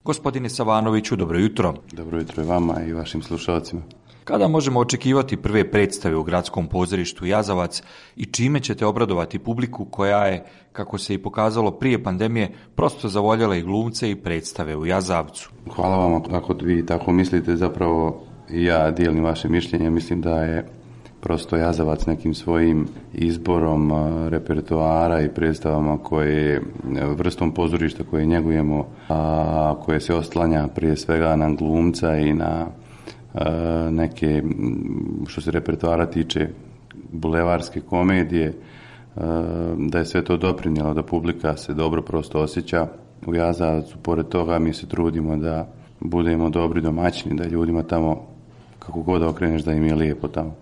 Gospodine Savanoviću, dobro jutro. Dobro jutro i vama i vašim slušalcima. Kada možemo očekivati prve predstave u Gradskom pozorištu Jazavac i čime ćete obradovati publiku koja je, kako se i pokazalo prije pandemije, prosto zavoljela i glumce i predstave u Jazavcu? Hvala vam ako vi tako mislite, zapravo ja dijelim vaše mišljenje, mislim da je prosto Jazavac nekim svojim izborom repertoara i predstavama koje, vrstom pozorišta koje njegujemo, a koje se oslanja prije svega na glumca i na neke, što se repertoara tiče, bulevarske komedije, da je sve to doprinijelo da publika se dobro prosto osjeća u Jazavcu. Pored toga mi se trudimo da budemo dobri domaćini, da ljudima tamo, kako god okreneš, da im je lijepo tamo.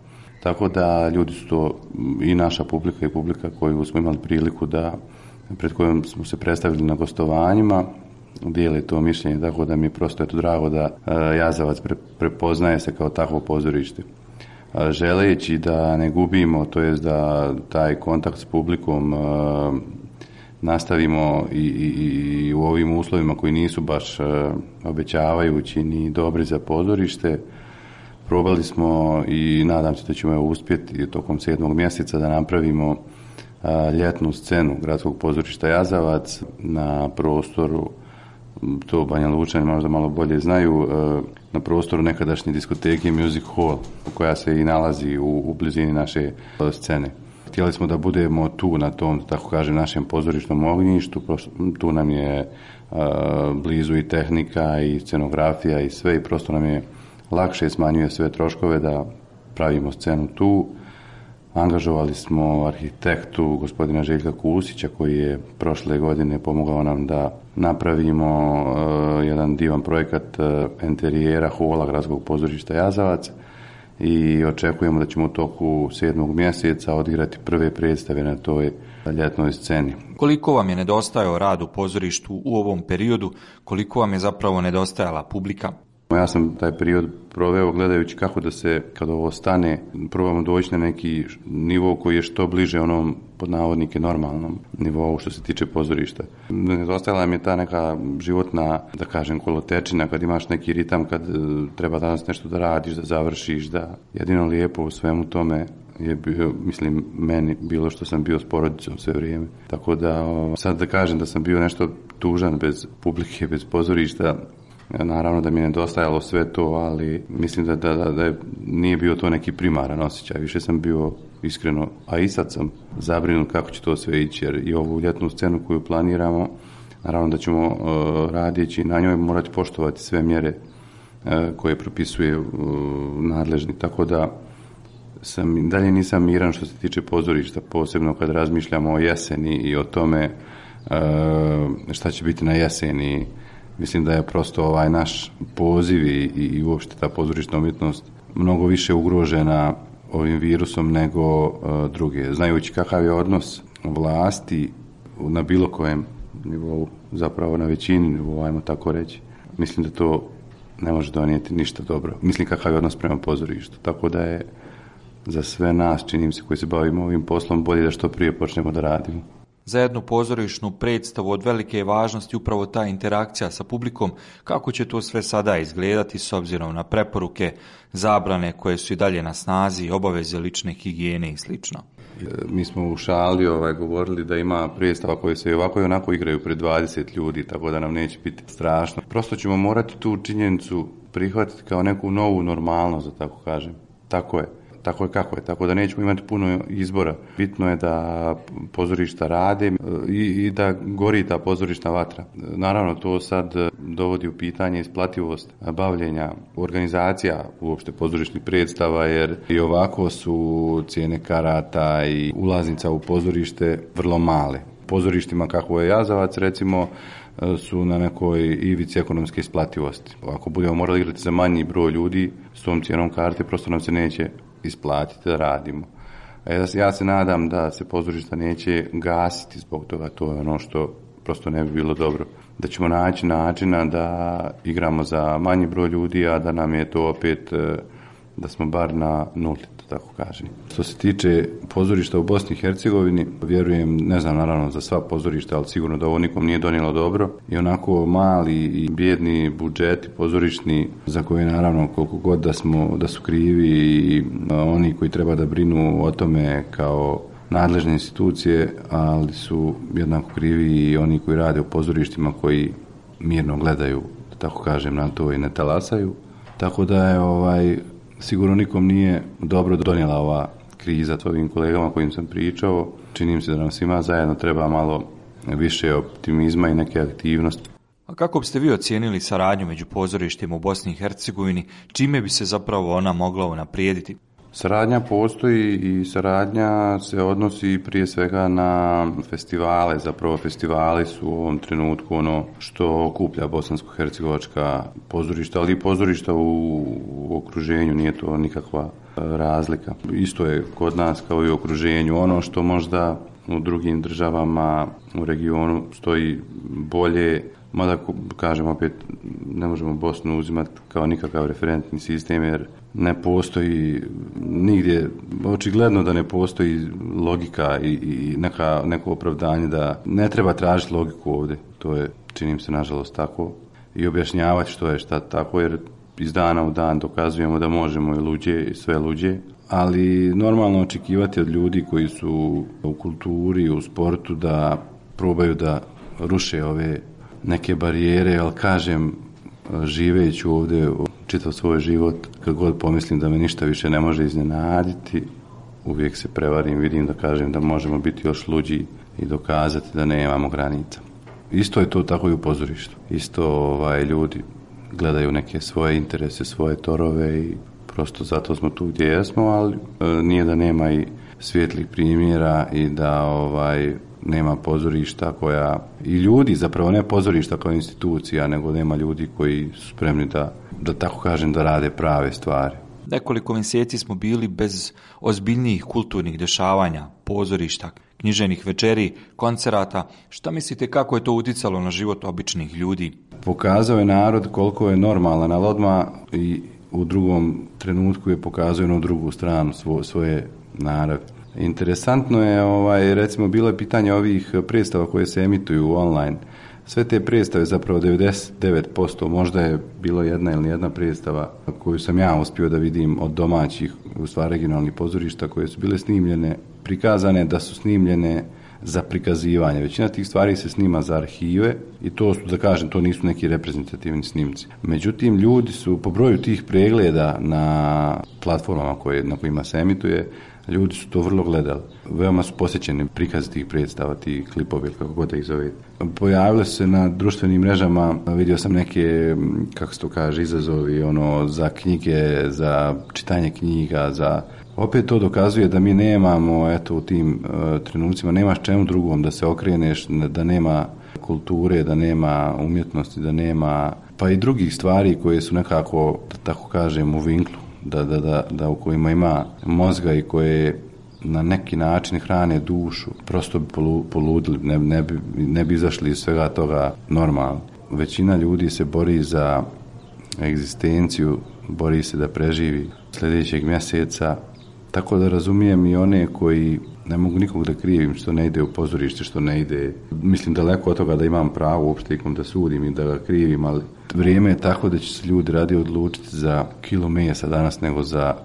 Tako da ljudi su to i naša publika i publika koju smo imali priliku da, pred kojom smo se predstavili na gostovanjima, dijele to mišljenje, tako da mi je prosto drago da Jazavac prepoznaje se kao takvo pozorište. Želeći da ne gubimo, to jest da taj kontakt s publikom nastavimo i u ovim uslovima koji nisu baš obećavajući ni dobri za pozorište, probali smo i nadam se da ćemo uspjeti tokom 7. mjeseca da napravimo ljetnu scenu Gradskog pozorišta Jazavac na prostoru, to Banja Lučani možda malo bolje znaju, na prostoru nekadašnje diskoteke Music Hall, koja se i nalazi u blizini naše scene. Htjeli smo da budemo tu na tom, tako kažem, našem pozorišnom ognjištu, tu nam je blizu i tehnika i scenografija i sve, i prosto nam je lakše, smanjuje sve troškove da pravimo scenu tu. Angažovali smo arhitektu gospodina Željka Kusića koji je prošle godine pomogao nam da napravimo jedan divan projekat enterijera hola Gradskog pozorišta Jazavac i očekujemo da ćemo u toku 7. mjeseca odigrati prve predstave na toj ljetnoj sceni. Koliko vam je nedostajao rad u pozorištu u ovom periodu, koliko vam je zapravo nedostajala publika? Ja sam taj period proveo gledajući kako da se, kada ovo stane, probamo doći na neki nivo koji je što bliže onom, pod navodnike, normalnom nivou što se tiče pozorišta. Nedostajala mi je ta neka životna, da kažem, kolotečina, kad imaš neki ritam, kad treba danas nešto da radiš, da završiš, da jedino lijepo u svemu tome je bio, mislim, meni bilo što sam bio s porodicom sve vrijeme. Tako da, sad da kažem da sam bio nešto tužan bez publike, bez pozorišta, naravno da mi je nedostajalo sve to, ali mislim da nije bio to neki primaran osjećaj. Više sam bio iskreno, a i sad sam zabrinut kako će to sve ići, jer i ovu ljetnu scenu koju planiramo, naravno da ćemo radići na njoj morati poštovati sve mjere koje propisuje nadležni, tako da dalje nisam miran što se tiče pozorišta, posebno kad razmišljamo o jeseni i o tome šta će biti na jeseni. Mislim da je prosto ovaj naš poziv i uopšte ta pozorišna umjetnost mnogo više ugrožena ovim virusom nego druge. Znajući kakav je odnos vlasti na bilo kojem nivou, zapravo na većini nivou, ajmo tako reći, mislim da to ne može donijeti ništa dobro. Mislim kakav je odnos prema pozorištu. Tako da je za sve nas, čini mi se, koji se bavimo ovim poslom, bolje da što prije počnemo da radimo. Za jednu pozorišnu predstavu od velike je važnosti upravo ta interakcija sa publikom. Kako će to sve sada izgledati s obzirom na preporuke, zabrane koje su i dalje na snazi, obaveze lične higijene i sl.? Mi smo u šali govorili da ima predstava koje se ovako i onako igraju pred 20 ljudi, tako da nam neće biti strašno. Prosto ćemo morati tu činjenicu prihvatiti kao neku novu normalnost, da tako kažem. Tako je kako je, tako da nećemo imati puno izbora. Bitno je da pozorišta rade i da gori ta pozorišna vatra. Naravno, to sad dovodi u pitanje isplativost bavljenja organizacija uopšte pozorišnih predstava, jer i ovako su cijene karata i ulaznica u pozorište vrlo male. Pozorištima kako je Jazavac, recimo, su na nekoj ivici ekonomske isplativosti. Ako budemo morali igrati za manji broj ljudi s tom cijenom karte, prosto nam se neće isplatiti da radimo. Ja se nadam da se pozorišta neće gasiti zbog toga, to je ono što prosto ne bi bilo dobro. Da ćemo naći načina da igramo za manji broj ljudi, a da nam je to opet da smo bar na nuli, tako kažem. Što se tiče pozorišta u Bosni i Hercegovini, vjerujem, ne znam naravno za sva pozorišta, ali sigurno da ovo nikom nije donijelo dobro. I onako mali i bijedni budžeti pozorišni, za koje naravno koliko god da su krivi i oni koji treba da brinu o tome kao nadležne institucije, ali su jednako krivi i oni koji rade u pozorištima koji mirno gledaju, tako kažem, na to i ne talasaju. Tako da je sigurno nikom nije dobro donijela ova kriza. Ovim kolegama kojim sam pričao, čini mi se da nam svima zajedno treba malo više optimizma i neke aktivnosti. A kako biste vi ocijenili saradnju među pozorištima u Bosni i Hercegovini? Čime bi se zapravo ona mogla unaprijediti? Saradnja postoji i saradnja se odnosi prije svega na festivale. Zapravo festivali su u ovom trenutku ono što okuplja bosansko-hercegovačka pozorišta, ali i pozorišta u okruženju, nije to nikakva razlika. Isto je kod nas kao i u okruženju. Ono što možda u drugim državama u regionu stoji bolje, mada kažem opet ne možemo Bosnu uzimati kao nikakav referentni sistem jer ne postoji nigdje, očigledno da ne postoji logika i neko opravdanje da ne treba tražiti logiku ovdje. To je, čini mi se, nažalost tako i objašnjavati što je šta tako jer iz dana u dan dokazujemo da možemo i luđe i sve luđe. Ali normalno očekivati od ljudi koji su u kulturi, u sportu da probaju da ruše ove neke barijere, ali kažem, živeći ovdje čitav svoj život, kad god pomislim da me ništa više ne može iznenaditi, uvijek se prevarim, vidim da kažem da možemo biti još luđi i dokazati da nemamo granica. Isto je to tako i u pozorištu. Isto ljudi gledaju neke svoje interese, svoje torove i prosto zato smo tu gdje jesmo, ali nije da nema i svijetlih primjera i da nema pozorišta koja i ljudi, zapravo ne pozorišta kao institucija, nego nema ljudi koji su spremni da tako kažem da rade prave stvari. Nekoliko mjeseci smo bili bez ozbiljnijih kulturnih dešavanja, pozorišta, književnih večeri, koncerata. Šta mislite kako je to utjecalo na život običnih ljudi? Pokazao je narod koliko je normalan, ali odmah i u drugom trenutku je pokazao na drugu stranu svoje naravi. Interesantno je, recimo, bilo je pitanje ovih predstava koje se emituju online. Sve te predstave, zapravo 99%, možda je bilo jedna predstava koju sam ja uspio da vidim od domaćih, u stvari regionalnih pozorišta koje su bile snimljene, prikazane da su snimljene za prikazivanje. Većina tih stvari se snima za arhive i to su, da kažem, to nisu neki reprezentativni snimci. Međutim, ljudi su po broju tih pregleda na platformama na kojima se emituje, ljudi su to vrlo gledali. Veoma su posjećeni prikazi tih predstava, ti klipovi, kako god da ih zove. Pojavile su se na društvenim mrežama, vidio sam neke, kako se to kaže, izazovi, za knjige, za čitanje knjiga, opet to dokazuje da mi nemamo, u tim trenucima, nemaš čemu drugom da se okreneš, da nema kulture, da nema umjetnosti, da nema, pa i drugih stvari koje su nekako, da tako kažem, u vinklu. Da u kojima ima mozga i koje na neki način hrane dušu, prosto bi poludili, ne bi izašli iz svega toga normalno. Većina ljudi se bori za egzistenciju, bori se da preživi sljedećeg mjeseca, tako da razumijem i one koji ne mogu nikog da krivim što ne ide u pozorište, što ne ide. Mislim daleko od toga da imam pravo uopšte ikom da sudim i da ga krivim, ali vrijeme je tako da će se ljudi radije odlučiti za kilo mesa danas nego za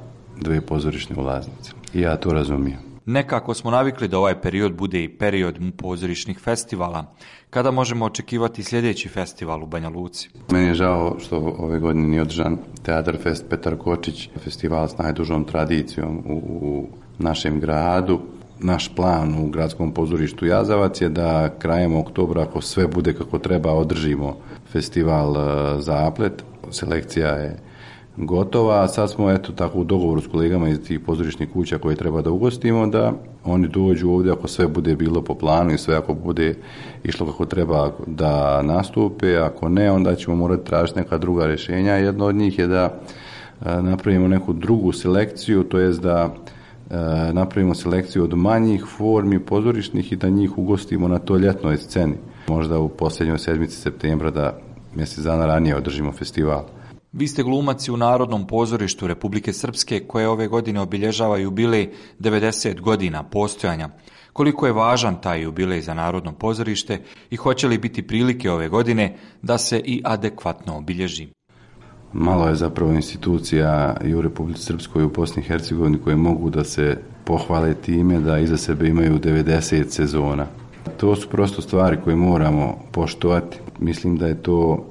2 pozorišne ulaznice. I ja to razumijem. Nekako smo navikli da ovaj period bude i period pozorišnih festivala. Kada možemo očekivati sljedeći festival u Banja Luci? Meni je žao što ove godine nije održan Teatar Fest Petar Kočić, festival s najdužom tradicijom u našem gradu. Naš plan u gradskom pozorištu Jazavac je da krajem oktobra, ako sve bude kako treba, održimo festival Zaplet. Selekcija je gotova, a sad smo tako u dogovoru s kolegama iz tih pozorišnih kuća koje treba da ugostimo, da oni dođu ovdje ako sve bude bilo po planu i sve ako bude išlo kako treba da nastupe, ako ne, onda ćemo morati tražiti neka druga rješenja. Jedno od njih je da napravimo neku drugu selekciju, to jest da napravimo selekciju od manjih formi pozorišnih i da njih ugostimo na toj ljetnoj sceni. Možda u posljednjoj sedmici septembra da mjesec dana ranije održimo festival. Vi ste glumac u Narodnom pozorištu Republike Srpske koje ove godine obilježava jubilej 90 godina postojanja. Koliko je važan taj jubilej za Narodno pozorište i hoće li biti prilike ove godine da se i adekvatno obilježi? Malo je zapravo institucija i u Republici Srpskoj i u Bosni i Hercegovini koje mogu da se pohvale time da iza sebe imaju 90 sezona. To su prosto stvari koje moramo poštovati. Mislim da je to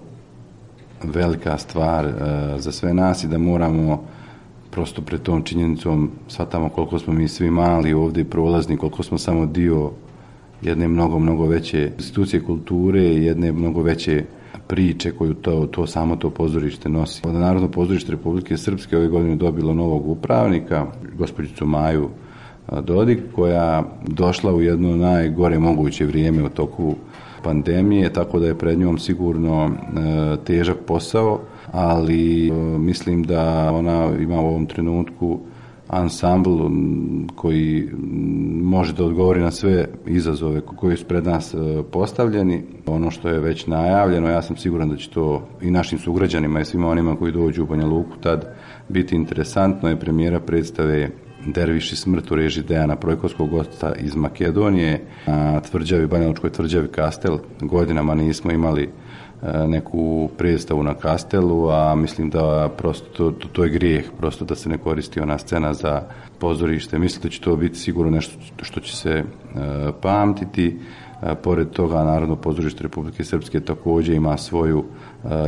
velika stvar za sve nas i da moramo prosto pred tom činjenicom shvatamo koliko smo mi svi mali ovdje prolazni, koliko smo samo dio jedne mnogo veće institucije kulture i jedne mnogo veće priče koju to pozorište nosi. Narodno pozorište Republike Srpske ove godine dobilo novog upravnika, gospođicu Maju Dodik, koja došla u jedno najgore moguće vrijeme u toku pandemije, tako da je pred njom sigurno težak posao, ali mislim da ona ima u ovom trenutku ansambl koji može da odgovori na sve izazove koji su pred nas postavljeni. Ono što je već najavljeno, ja sam siguran da će to i našim sugrađanima i svima onima koji dođu u Banja Luku tad biti interesantno, je premijera predstave Derviš i smrt u režiji Dejana Projkovskog, gosta iz Makedonije, na Banjalučkoj tvrđavi Kastel. Godinama nismo imali neku predstavu na Kastelu, a mislim da prosto to je grijeh, prosto da se ne koristi ona scena za pozorište. Mislim da će to biti sigurno nešto što će se pamtiti. Pored toga, Narodno pozorište Republike Srpske također ima svoju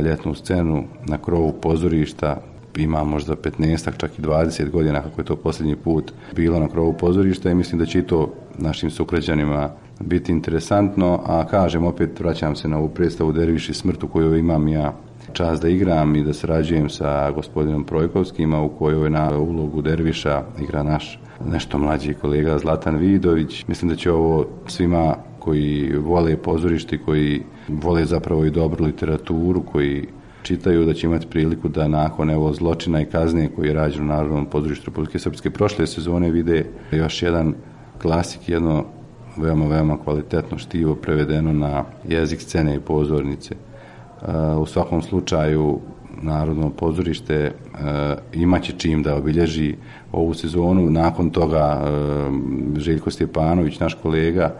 ljetnu scenu na krovu pozorišta. Ima možda 15, čak i 20 godina kako je to posljednji put bilo na krovu pozorišta i mislim da će i to našim sugrađanima biti interesantno, a kažem, opet vraćam se na ovu predstavu Derviš i smrt u kojoj imam ja čast da igram i da sarađujem sa gospodinom Projkovskim, u kojoj na ulogu Derviša igra naš nešto mlađi kolega Zlatan Vidović. Mislim da će ovo svima koji vole pozorište, koji vole zapravo i dobru literaturu, koji čitaju, da će imati priliku da nakon evo zločina i kazne koji je rađen u Narodnom pozorištu Republike Srpske prošle sezone vide još jedan klasik, jedno veoma kvalitetno štivo prevedeno na jezik scene i pozornice. U svakom slučaju Narodno pozorište imaće čim da obilježi ovu sezonu. Nakon toga Željko Stjepanović, naš kolega,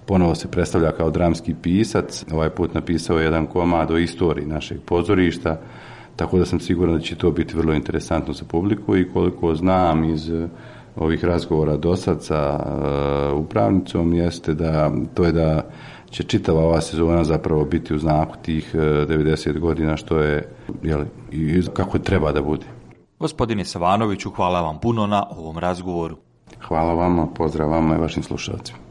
ponovo se predstavlja kao dramski pisac. Ovaj put napisao jedan komad o istoriji našeg pozorišta, tako da sam siguran da će to biti vrlo interesantno za publiku i koliko znam iz ovih razgovora dosad sa upravnicom jeste da će čitava ova sezona zapravo biti u znaku tih 90 godina što je i kako treba da bude. Gospodine Savanoviću, hvala vam puno na ovom razgovoru. Hvala vama, pozdrav vama i vašim slušalcima.